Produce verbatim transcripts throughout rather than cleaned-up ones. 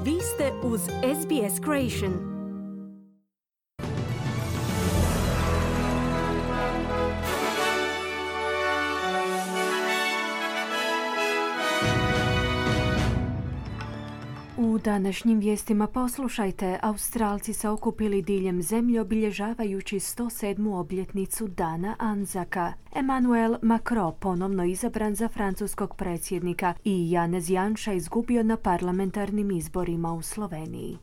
Vi ste uz S B S Creation. U današnjim vijestima poslušajte, Australci se okupili diljem zemlje obilježavajući sto sedmu obljetnicu Dana Anzaka. Emmanuel Macron ponovno izabran za francuskog predsjednika i Janez Janša izgubio na parlamentarnim izborima u Sloveniji.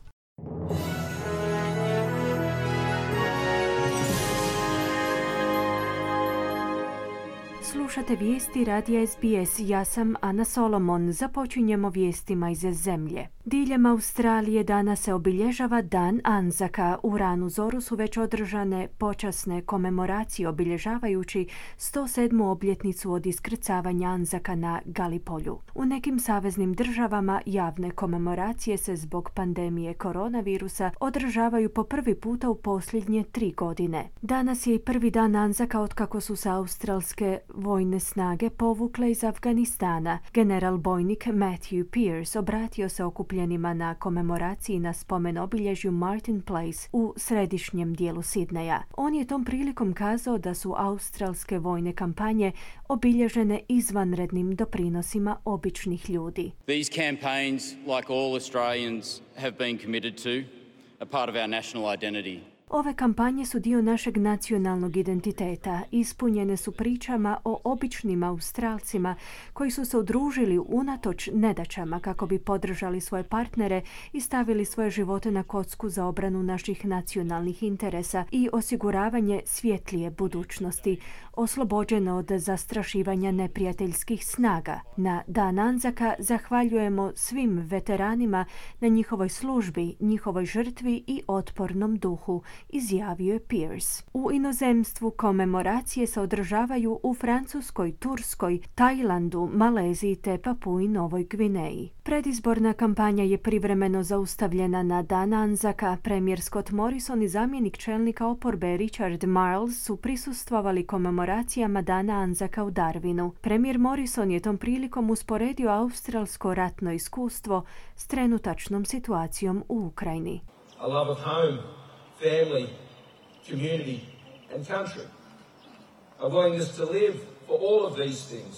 Slušate vijesti radija S B S, ja sam Ana Solomon. Započinjemo vijestima iz zemlje. Diljem Australije danas se obilježava Dan Anzaka. U ranu zoru su već održane počasne komemoracije obilježavajući sto sedmu obljetnicu od iskrcavanja Anzaka na Galipolju. U nekim saveznim državama javne komemoracije se zbog pandemije koronavirusa održavaju po prvi puta u posljednje tri godine. Danas je i prvi dan Anzaka otkako su se australske vojne snage povukle iz Afganistana. General bojnik Matthew Pearce obratio se okupljenima na komemoraciji na spomen obilježju Martin Place u središnjem dijelu Sidneja. On je tom prilikom kazao da su australske vojne kampanje obilježene izvanrednim doprinosima običnih ljudi. These campaigns, like all Australians have been committed to, are part of our national identity. Ove kampanje su dio našeg nacionalnog identiteta. Ispunjene su pričama o običnim Australcima koji su se udružili unatoč nedaćama kako bi podržali svoje partnere i stavili svoje živote na kocku za obranu naših nacionalnih interesa i osiguravanje svjetlije budućnosti, oslobođeno od zastrašivanja neprijateljskih snaga. Na Dan Anzaka zahvaljujemo svim veteranima na njihovoj službi, njihovoj žrtvi i otpornom duhu, izjavio je Pearce. U inozemstvu komemoracije se održavaju u Francuskoj, Turskoj, Tajlandu, Maleziji te Papui Novoj Gvineji. Predizborna kampanja je privremeno zaustavljena na Dan Anzaka. Premijer Scott Morrison i zamjenik čelnika oporbe Richard Marles su prisustvovali komemoracijama Dana Anzaka u Darwinu. Premijer Morrison je tom prilikom usporedio australsko ratno iskustvo s trenutačnom situacijom u Ukrajini. A love of home, family, community and country. A willingness to live for all of these things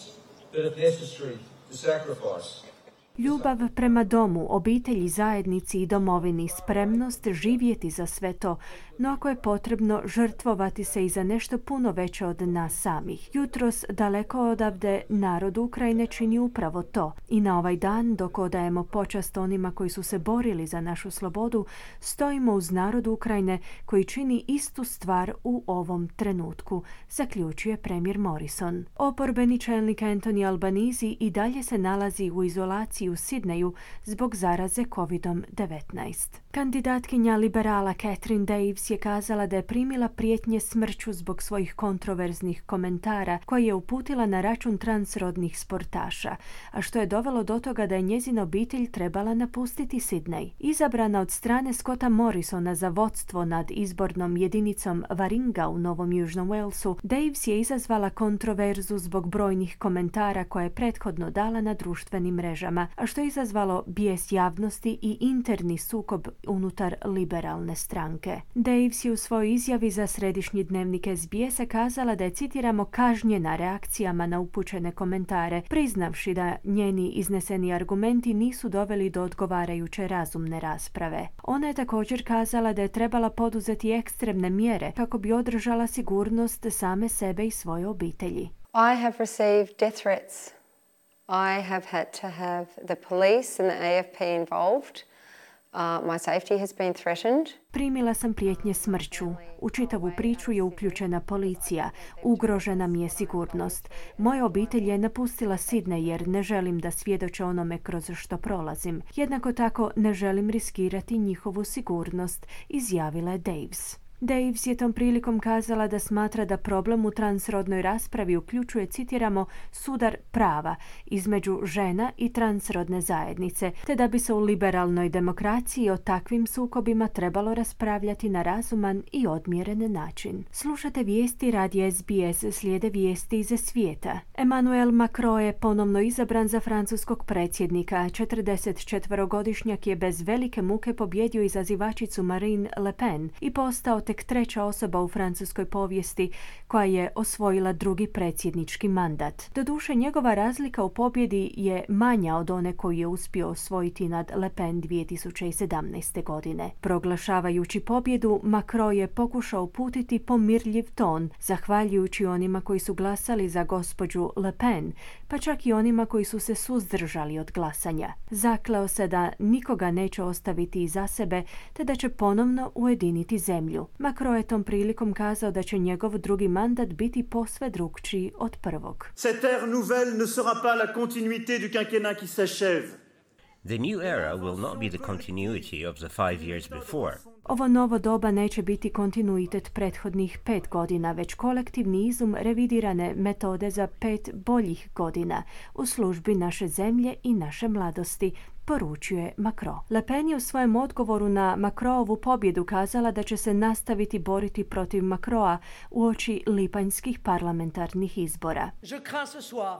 that if necessary to sacrifice. Ljubav prema domu, obitelji, zajednici i domovini, spremnost živjeti za sve to, no ako je potrebno žrtvovati se i za nešto puno veće od nas samih. Jutros, daleko odavde, narod Ukrajine čini upravo to. I na ovaj dan, dok odajemo počast onima koji su se borili za našu slobodu, stojimo uz narod Ukrajine koji čini istu stvar u ovom trenutku, zaključuje premijer Morrison. Oporbeni čelnik Anthony Albanese i dalje se nalazi u izolaciji u Sidneju zbog zaraze kovidom devetnaest. Kandidatkinja liberala Catherine Davis je kazala da je primila prijetnje smrću zbog svojih kontroverznih komentara koje je uputila na račun transrodnih sportaša, a što je dovelo do toga da je njezina obitelj trebala napustiti Sidnej. Izabrana od strane Scotta Morrisona za vodstvo nad izbornom jedinicom Warringah u Novom Južnom Walesu, Davis je izazvala kontroverzu zbog brojnih komentara koje je prethodno dala na društvenim mrežama, a što je izazvalo bijes javnosti i interni sukob unutar liberalne stranke. Davis je u svojoj izjavi za središnji dnevnik S B S-a kazala da je, citiramo, kažnjena reakcijama na upućene komentare, priznavši da njeni izneseni argumenti nisu doveli do odgovarajuće razumne rasprave. Ona je također kazala da je trebala poduzeti ekstremne mjere kako bi održala sigurnost same sebe i svoje obitelji. I have received death threats. I have had to have the police and the A F P involved. Uh, my safety has been threatened. Primila sam prijetnje smrću. U čitavu priču je uključena policija. Ugrožena mi je sigurnost. Moja obitelj je napustila Sidney jer ne želim da svjedoče onome kroz što prolazim. Jednako tako ne želim riskirati njihovu sigurnost, izjavila je Davis. Daves je tom prilikom kazala da smatra da problem u transrodnoj raspravi uključuje, citiramo, sudar prava između žena i transrodne zajednice, te da bi se u liberalnoj demokraciji o takvim sukobima trebalo raspravljati na razuman i odmjeren način. Slušate vijesti radija S B S, slijede vijesti iz svijeta. Emmanuel Macron je ponovno izabran za francuskog predsjednika. četrdesetčetverogodišnjak je bez velike muke pobjedio izazivačicu Marine Le Pen i postao tek treća osoba u francuskoj povijesti koja je osvojila drugi predsjednički mandat. Doduše, njegova razlika u pobjedi je manja od one koju je uspio osvojiti nad Le Pen dvije tisuće sedamnaeste. godine. Proglašavajući pobjedu, Macron je pokušao uputiti pomirljiv ton, zahvaljujući onima koji su glasali za gospođu Le Pen, pa čak i onima koji su se suzdržali od glasanja. Zakleo se da nikoga neće ostaviti iza sebe, te da će ponovno ujediniti zemlju. Macron je tom prilikom kazao da će njegov drugi mandat biti posve drukčiji od prvog. Cette ère nouvelle ne sera pas la continuité du quinquennat qui s'achève. The new era will not be the continuity of the five years before. Ovo novo doba neće biti kontinuitet prethodnih pet godina, već kolektivni izum revidirane metode za pet boljih godina u službi naše zemlje i naše mladosti, poručuje Macron. Le Pen je u svojem odgovoru na Macronovu pobjedu kazala da će se nastaviti boriti protiv Macrona uoči lipanjskih parlamentarnih izbora. Je crains ce soir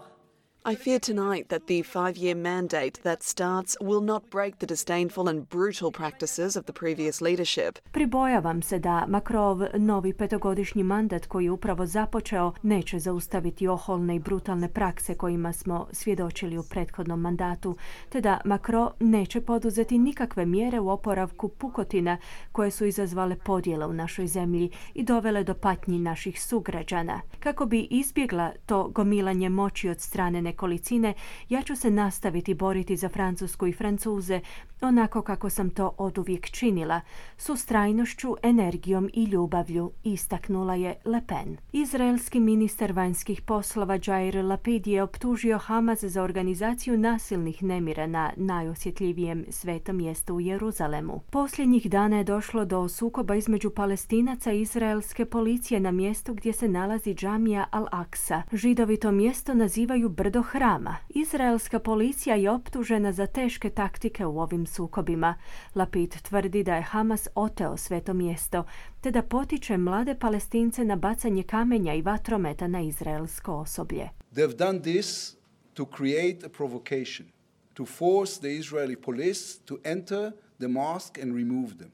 I fear tonight that the five-year mandate that starts will not break the disdainful and brutal practices of the previous leadership. Pribojavam se da Macronov novi petogodišnji mandat koji je upravo započeo neće zaustaviti oholne i brutalne prakse kojima smo svjedočili u prethodnom mandatu, te da Macron neće poduzeti nikakve mjere u oporavku pukotina koje su izazvale podjele u našoj zemlji i dovele do patnji naših sugrađana. Kako bi izbjegla to gomilanje moći od strane nekolicine, ja ću se nastaviti boriti za Francusku i Francuze onako kako sam to oduvijek činila, s ustrajnošću, energijom i ljubavlju, istaknula je Le Pen. Izraelski ministar vanjskih poslova Jair Lapid je optužio Hamas za organizaciju nasilnih nemira na najosjetljivijem svetom mjestu u Jeruzalemu. Posljednjih dana je došlo do sukoba između Palestinaca i izraelske policije na mjestu gdje se nalazi džamija Al-Aqsa. Židovi to mjesto nazivaju brdo hrama. Izraelska policija je optužena za teške taktike u ovim sukobima. Lapid tvrdi da je Hamas oteo sveto mjesto, te da potiče mlade Palestince na bacanje kamenja i vatrometa na izraelsko osoblje. They've done this to create a provocation, to force the Israeli police to enter the mosque and remove them.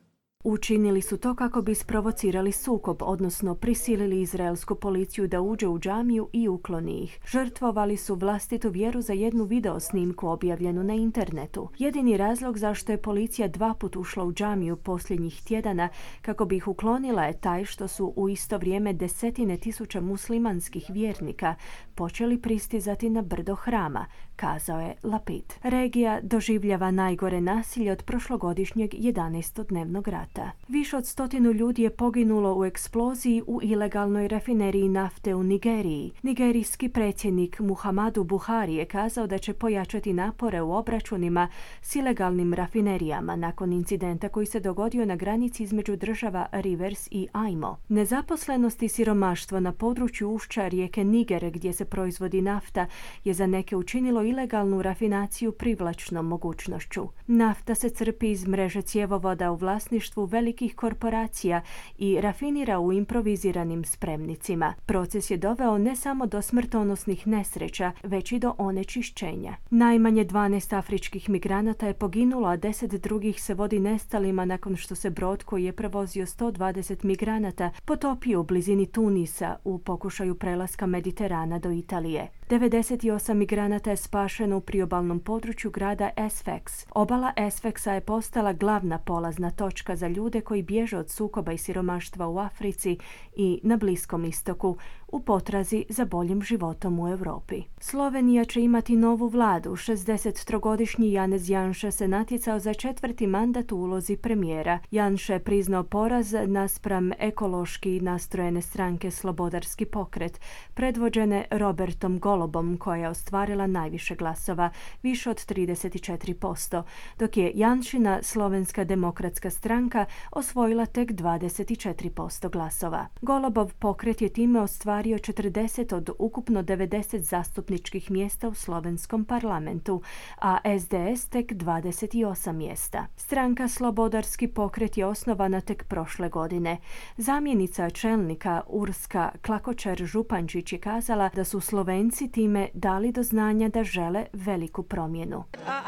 Učinili su to kako bi isprovocirali sukob, odnosno prisilili izraelsku policiju da uđe u džamiju i ukloni ih. Žrtvovali su vlastitu vjeru za jednu video snimku objavljenu na internetu. Jedini razlog zašto je policija dva put ušla u džamiju posljednjih tjedana kako bi ih uklonila je taj što su u isto vrijeme desetine tisuća muslimanskih vjernika počeli pristizati na brdo hrama, kazao je Lapid. Regija doživljava najgore nasilje od prošlogodišnjeg jedanaestodnevnog rata. Više od stotinu ljudi je poginulo u eksploziji u ilegalnoj rafineriji nafte u Nigeriji. Nigerijski predsjednik Muhammadu Buhari je kazao da će pojačati napore u obračunima s ilegalnim rafinerijama nakon incidenta koji se dogodio na granici između država Rivers i Imo. Nezaposlenost i siromaštvo na području ušća rijeke Niger gdje se proizvodi nafta je za neke učinilo ilegalnu rafinaciju privlačnom mogućnošću. Nafta se crpi iz mreže cjevovoda u vlasništvu velikih korporacija i rafinira u improviziranim spremnicima. Proces je doveo ne samo do smrtonosnih nesreća, već i do onečišćenja. Najmanje dvanaest afričkih migranata je poginulo, a deset drugih se vodi nestalima nakon što se brod koji je prevozio sto dvadeset migranata potopio u blizini Tunisa u pokušaju prelaska Mediterana do Italije. devedeset osam migranata je spašeno u priobalnom području grada Sfax. Obala Sfaxa je postala glavna polazna točka za ljude koji bježe od sukoba i siromaštva u Africi i na Bliskom istoku u potrazi za boljim životom u Europi. Slovenija će imati novu vladu. šezdesettrogodišnji Janez Janša se natjecao za četvrti mandat u ulozi premijera. Janša je priznao poraz naspram ekološki nastrojene stranke Slobodarski pokret, predvođene Robertom Golobom, koja je ostvarila najviše glasova, više od trideset četiri posto, dok je Janšina Slovenska demokratska stranka osvojila tek dvadeset četiri posto glasova. Golobov pokret je time ostvario četrdeset od ukupno devedeset zastupničkih mjesta u slovenskom parlamentu, a S D S tek dvadeset osam mjesta. Stranka Slobodarski pokret je osnovana tek prošle godine. Zamjenica čelnika Urska Klakočar-Župančić je kazala da su Slovenci time dali do znanja da žele veliku promjenu. Uh,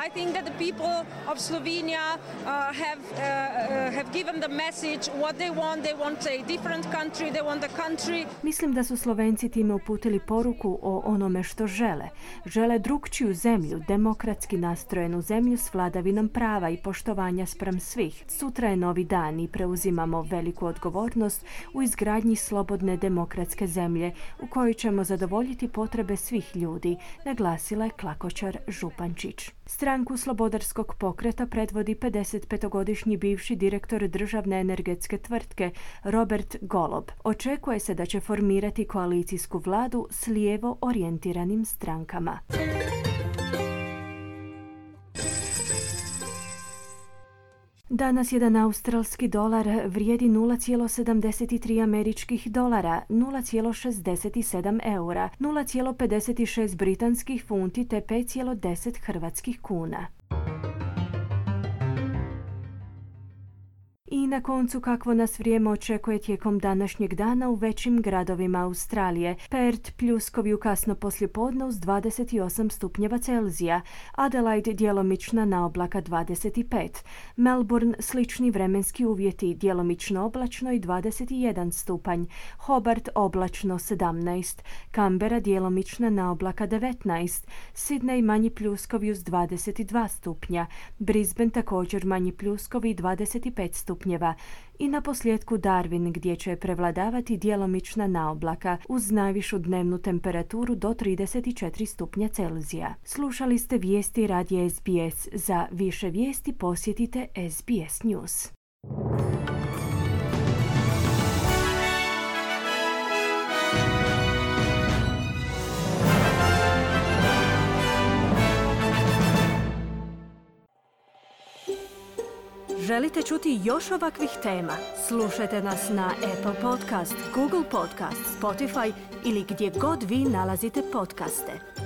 I think that the people of Slovenia uh, have uh, have given the message what they want. They want a different country. They want a country. Mislim da su Slovenci time uputili poruku o onome što žele. Žele drukčiju zemlju, demokratski nastrojenu zemlju s vladavinom prava i poštovanja spram svih. Sutra je novi dan i preuzimamo veliku odgovornost u izgradnji slobodne demokratske zemlje u kojoj ćemo zadovoljiti potrebe svih ljudi, naglasila je Klakočar Župančić. Stranku Slobodarskog pokreta predvodi pedesetpetogodišnji bivši direktor državne energetske tvrtke Robert Golob. Očekuje se da će formirati koalicijsku vladu s lijevo orijentiranim strankama. Danas jedan australski dolar vrijedi nula zarez sedamdeset tri američkih dolara, nula zarez šezdeset sedam eura, nula zarez pedeset šest britanskih funti te pet zarez deset hrvatskih kuna. I na koncu kakvo nas vrijeme očekuje tijekom današnjeg dana u većim gradovima Australije. Perth pljuskovi u kasno poslijepodne uz dvadeset osam stupnjeva Celzija, Adelaide djelomična na oblaka dvadeset pet, Melbourne slični vremenski uvjeti, djelomično oblačno i dvadeset jedan stupanj, Hobart oblačno sedamnaest, Canberra djelomična na oblaka devetnaest, Sydney manji pljuskovi uz dvadeset dva stupnja, Brisbane također manji pljuskovi i dvadeset pet stupnjeva. I na posljedku Darwin gdje će prevladavati djelomična naoblaka uz najvišu dnevnu temperaturu do trideset četiri stupnja Celzija. Slušali ste vijesti radija S B S. Za više vijesti posjetite S B S News. Želite čuti još ovakvih tema? Slušajte nas na Apple Podcast, Google Podcast, Spotify ili gdje god vi nalazite podcaste.